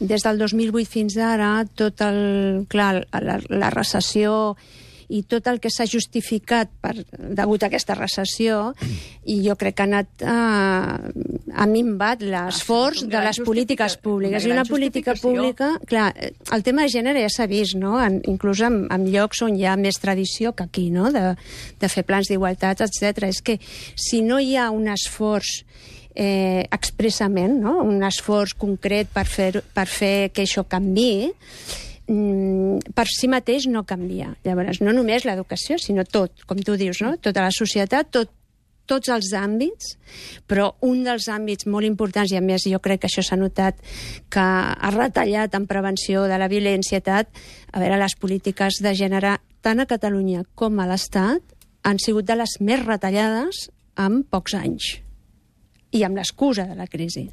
des del 2008 fins ara, la recessió i tot el que s'ha justificat degut a aquesta recessió, i jo crec que ha minvat l'esforç de les polítiques públiques. I una política pública... Clar, el tema de gènere ja s'ha vist, no? Inclús en llocs on hi ha més tradició que aquí, no? De fer plans d'igualtat, etc. És que si no hi ha un esforç expressament, no? Un esforç concret per fer que això canviï, per si mateix no canvia. Llavors, no només l'educació, sinó tot, com tu dius, no? Tota la societat, tots els àmbits, però un dels àmbits molt importants, i a més jo crec que això s'ha notat que ha retallat en prevenció de la violència, a veure, les polítiques de gènere, tant a Catalunya com a l'Estat, han sigut de les més retallades en pocs anys, i amb l'excusa de la crisi.